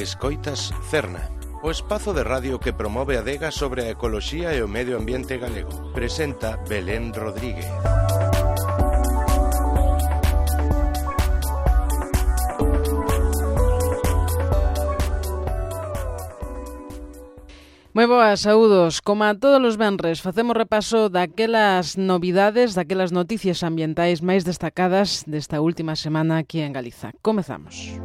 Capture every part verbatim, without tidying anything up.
Escoitas Cerna, o espazo de radio que promove a adega sobre a ecoloxía e o medio ambiente galego. Presenta Belén Rodríguez. Moi boas, saúdos. Como a todos os venres, facemos repaso daquelas novidades, daquelas noticias ambientais máis destacadas desta última semana aquí en Galiza. Comezamos.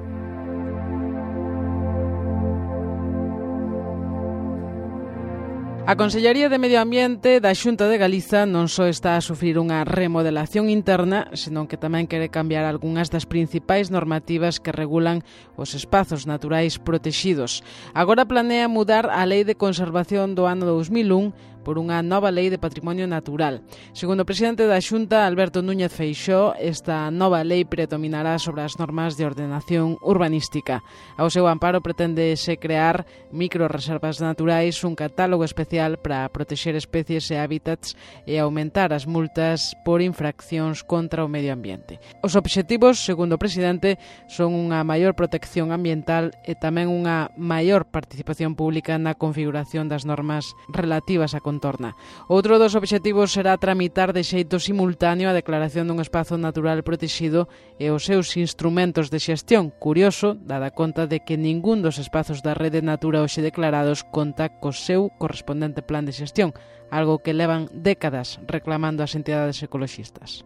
A Consellería de Medio Ambiente da Xunta de Galiza non só está a sufrir unha remodelación interna, senón que tamén quere cambiar algunhas das principais normativas que regulan os espazos naturais protexidos. Agora planea mudar a Lei de Conservación do ano dous mil un por unha nova Lei de Patrimonio Natural. Segundo o presidente da Xunta, Alberto Núñez Feixóo, esta nova lei predominará sobre as normas de ordenación urbanística. Ao seu amparo pretendese crear microreservas naturais, un catálogo especial para protexer especies e hábitats e aumentar as multas por infraccións contra o medio ambiente. Os obxectivos, segundo o presidente, son unha maior protección ambiental e tamén unha maior participación pública na configuración das normas relativas á contorna. Outro dos obxectivos será tramitar de xeito simultáneo a declaración dun espazo natural protexido e os seus instrumentos de xestión. Curioso, dada conta de que ningún dos espazos da Rede Natura hoxe declarados conta co seu correspondente plan de xestión, algo que levan décadas reclamando as entidades ecoloxistas.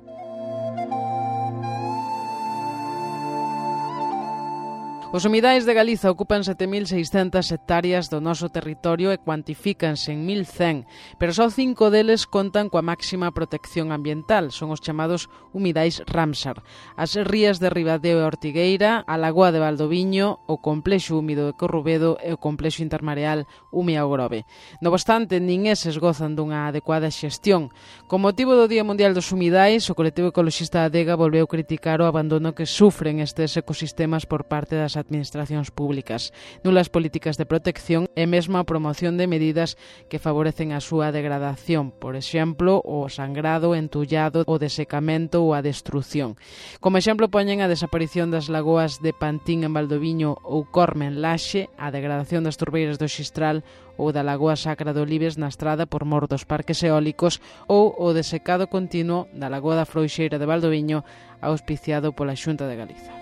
Os humidais de Galiza ocupan sete mil seiscentas hectáreas do noso territorio e cuantifícanse en mil cen, pero só cinco deles contan coa máxima protección ambiental, son os chamados humidais Ramsar. As rías de Ribadeo e Ortigueira, a Lagoa de Valdoviño, o complexo húmido de Corrubedo e o complexo intermareal Umia Grove. No obstante, nin eses gozan dunha adecuada xestión. Con motivo do Día Mundial dos Humidais, o colectivo ecoloxista Adega volveu criticar o abandono que sufren estes ecosistemas por parte das administracións públicas, nulas políticas de protección e mesmo a promoción de medidas que favorecen a súa degradación, por exemplo, o sangrado, entullado, o desecamento ou a destrucción. Como exemplo poñen a desaparición das lagoas de Pantín en Valdoviño ou Corme en Laxe, a degradación das turbeiras do Xistral ou da Lagoa Sacra de Olives na Estrada por mor dos parques eólicos ou o desecado continuo da Lagoa da Frouxeira de Valdoviño auspiciado pola Xunta de Galiza.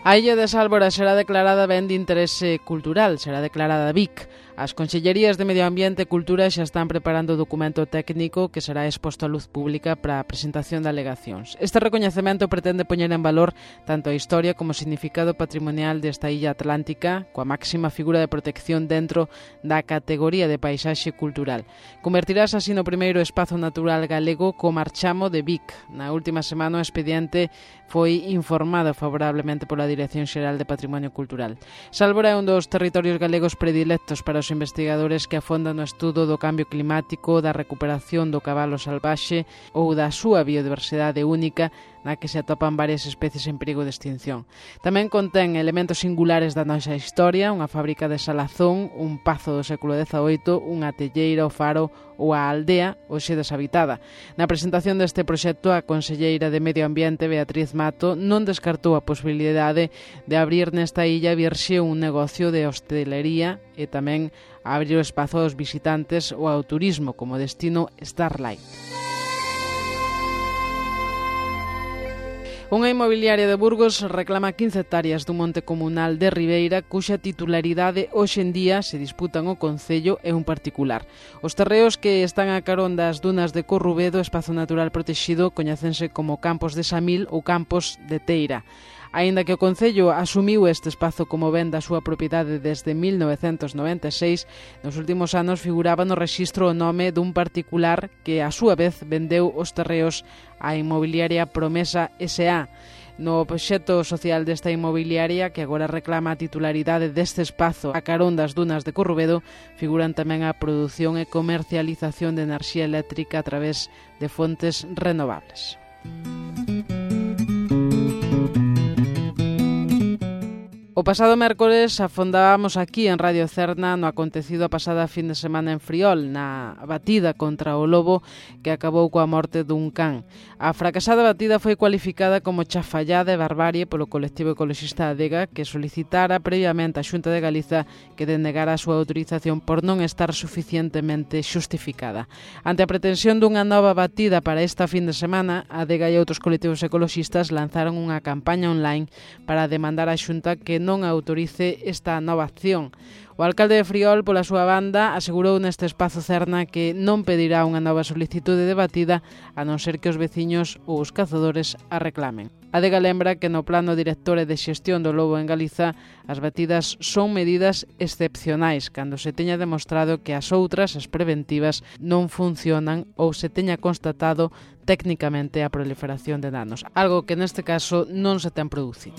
A Illa de Sálvora será declarada ben de interese cultural, será declarada B I C. As Consellerías de Medio Ambiente e Cultura xa están preparando o documento técnico que será exposto á luz pública para a presentación de alegacións. Este recoñecemento pretende poñer en valor tanto a historia como o significado patrimonial desta illa atlántica, coa máxima figura de protección dentro da categoría de paisaxe cultural. Convertirás así no primeiro espazo natural galego co marchamo de B I C. Na última semana o expediente foi informado favorablemente pola Dirección Xeral de Patrimonio Cultural. Sálvora é un dos territorios galegos predilectos para os investigadores que afondan no estudo do cambio climático, da recuperación do cabalo salvaxe ou da súa biodiversidade única, na que se atopan varias especies en perigo de extinción. Tamén contén elementos singulares da nosa historia, unha fábrica de salazón, un pazo do século dezaoito, unha telleira, o faro ou a aldea, hoxe deshabitada. Na presentación deste proxecto, a conselleira de Medio Ambiente, Beatriz Mato, non descartou a posibilidade de abrir nesta illa virxe un negocio de hostelería e tamén abrir o espazo aos visitantes ou ao turismo como destino Starlight. Unha inmobiliaria de Burgos reclama quince hectáreas dun monte comunal de Ribeira cuxa titularidade hoxe en día se disputan o Concello e un particular. Os terreos que están a carón das dunas de Corrubedo, espazo natural protexido, coñécense como Campos de Samil ou Campos de Teira. Aínda que o Concello asumiu este espazo como ben da súa propiedade desde mil novecentos noventa e seis, nos últimos anos figuraba no rexistro o nome dun particular que, a súa vez, vendeu os terreos á inmobiliaria Promesa S A. No obxecto social desta inmobiliaria, que agora reclama a titularidade deste espazo a carón das dunas de Corrubedo, figuran tamén a produción e comercialización de enerxía eléctrica a través de fontes renovables. O pasado mércores afondábamos aquí en Radio Cerna no acontecido a pasada fin de semana en Friol, na batida contra o lobo que acabou coa morte dun can. A fracasada batida foi cualificada como chafallada e barbarie polo colectivo ecoloxista Adega, que solicitara previamente a Xunta de Galiza que denegara a súa autorización por non estar suficientemente xustificada. Ante a pretensión dunha nova batida para esta fin de semana, Adega e outros colectivos ecoloxistas lanzaron unha campaña online para demandar á Xunta que non autorice esta nova acción. O alcalde de Friol, pola súa banda, asegurou neste espazo Cerna que non pedirá unha nova solicitude de batida a non ser que os veciños ou os cazadores a reclamen. Adega lembra que no plano director e de xestión do lobo en Galiza as batidas son medidas excepcionais cando se teña demostrado que as outras, as preventivas, non funcionan ou se teña constatado técnicamente a proliferación de danos, algo que neste caso non se ten producido.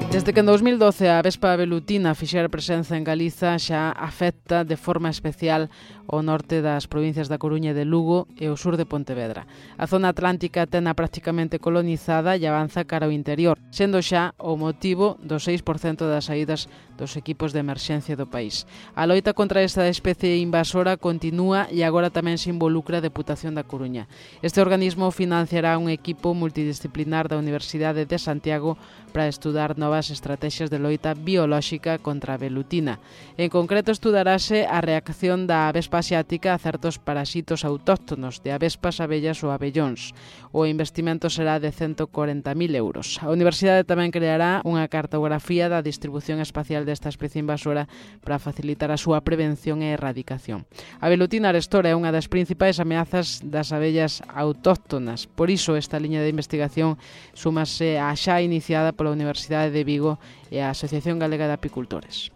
Desde que en dos mil doce a avespa velutina fixera presenza en Galiza xa afecta de forma especial o norte das provincias da Coruña e de Lugo e o sur de Pontevedra. A zona atlántica tena prácticamente colonizada e avanza cara ao interior, sendo xa o motivo do seis por cento das saídas dos equipos de emerxencia do país. A loita contra esta especie invasora continúa e agora tamén se involucra a Deputación da Coruña. Este organismo financiará un equipo multidisciplinar da Universidade de Santiago para estudar novas estrategias de loita biolóxica contra a velutina. En concreto, estudarase a reacción da avespa asiática a certos parasitos autóctonos de avespas, abellas ou abellóns. O investimento será de ciento corenta mil euros. A Universidade tamén creará unha cartografía da distribución espacial desta especie invasora para facilitar a súa prevención e erradicación. A velutina arestora é unha das principais ameazas das abellas autóctonas. Por iso, esta liña de investigación súmase á xa iniciada pola Universidade de Vigo e a Asociación Galega de Apicultores.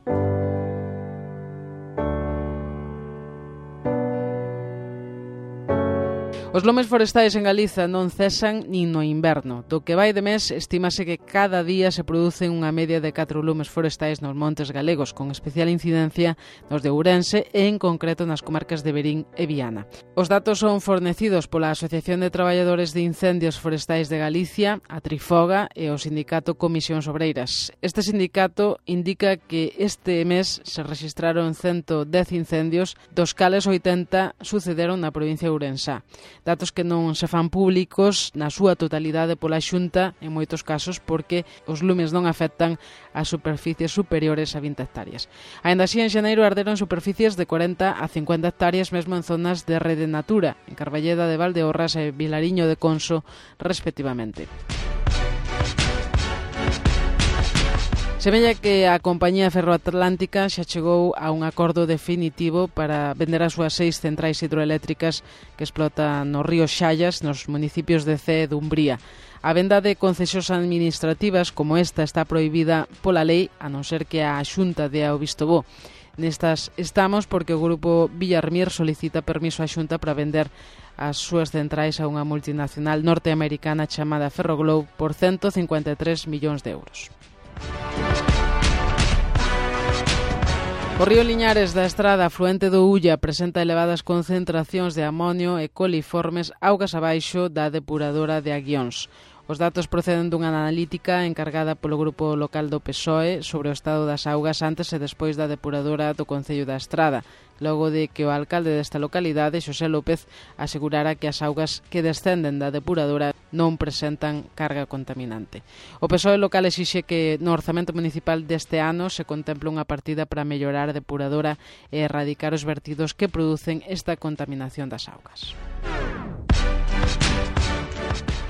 Os lumes forestais en Galiza non cesan nin no inverno. Do que vai de mes, estímase que cada día se producen unha media de catro lumes forestais nos montes galegos, con especial incidencia nos de Ourense e en concreto nas comarcas de Verín e Viana. Os datos son fornecidos pola Asociación de Traballadores de Incendios Forestais de Galicia, a Trifoga e o sindicato Comisións Obreiras. Este sindicato indica que este mes se rexistraron ciento dez incendios, dos cales oitenta sucederon na provincia de Ourensá. Datos que non se fan públicos na súa totalidade pola Xunta, en moitos casos porque os lumes non afectan as superficies superiores a vinte hectáreas. Aínda así, en xaneiro arderon superficies de cuarenta a cincuenta hectáreas mesmo en zonas de Rede Natura, en Carballeda de Valdeorras e Vilariño de Conso, respectivamente. Semella que a compañía ferroatlántica xa chegou a un acordo definitivo para vender as súas seis centrais hidroeléctricas que explotan no río Xallas, nos municipios de Cee e Dumbría. A venda de concesións administrativas como esta está prohibida pola lei, a non ser que a Xunta dea o visto bo. Nestas estamos porque o grupo Villarmir solicita permiso á Xunta para vender as súas centrais a unha multinacional norteamericana chamada Ferroglobe por ciento cincuenta e tres millóns de euros. O río Liñares da Estrada, afluente do Ulla, presenta elevadas concentracións de amonio e coliformes augas abaixo da depuradora de Aguións. Os datos proceden dunha analítica encargada polo grupo local do P S O E sobre o estado das augas antes e despois da depuradora do Concello da Estrada, logo de que o alcalde desta localidade, Xosé López, asegurara que as augas que descenden da depuradora non presentan carga contaminante. O P S O E local exixe que no orzamento municipal deste ano se contemple unha partida para mellorar a depuradora e erradicar os vertidos que producen esta contaminación das augas.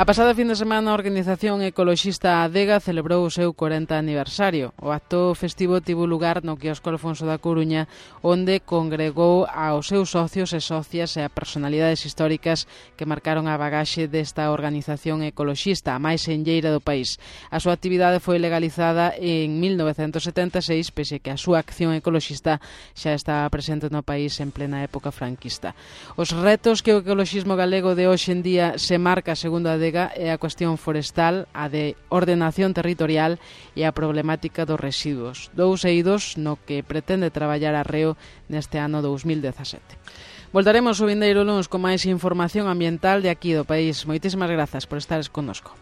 A pasada fin de semana a organización ecoloxista Adega celebrou o seu corenta aniversario. O acto festivo tivo lugar no quiosco Alfonso da Coruña, onde congregou aos seus socios e socias e a personalidades históricas que marcaron a bagaxe desta organización ecoloxista, a máis enlleira do país. A súa actividade foi legalizada en mil novecentos setenta e seis, pese que a súa acción ecoloxista xa estaba presente no país en plena época franquista. Os retos que o ecoloxismo galego de hoxe en día se marca, segundo a Adega, é a cuestión forestal, a de ordenación territorial e a problemática dos residuos, dous eidos no que pretende traballar arreo neste ano dous mil dezasete. Voltaremos o vindeiro luns con máis información ambiental de aquí do país. Moitísimas grazas por estares connosco.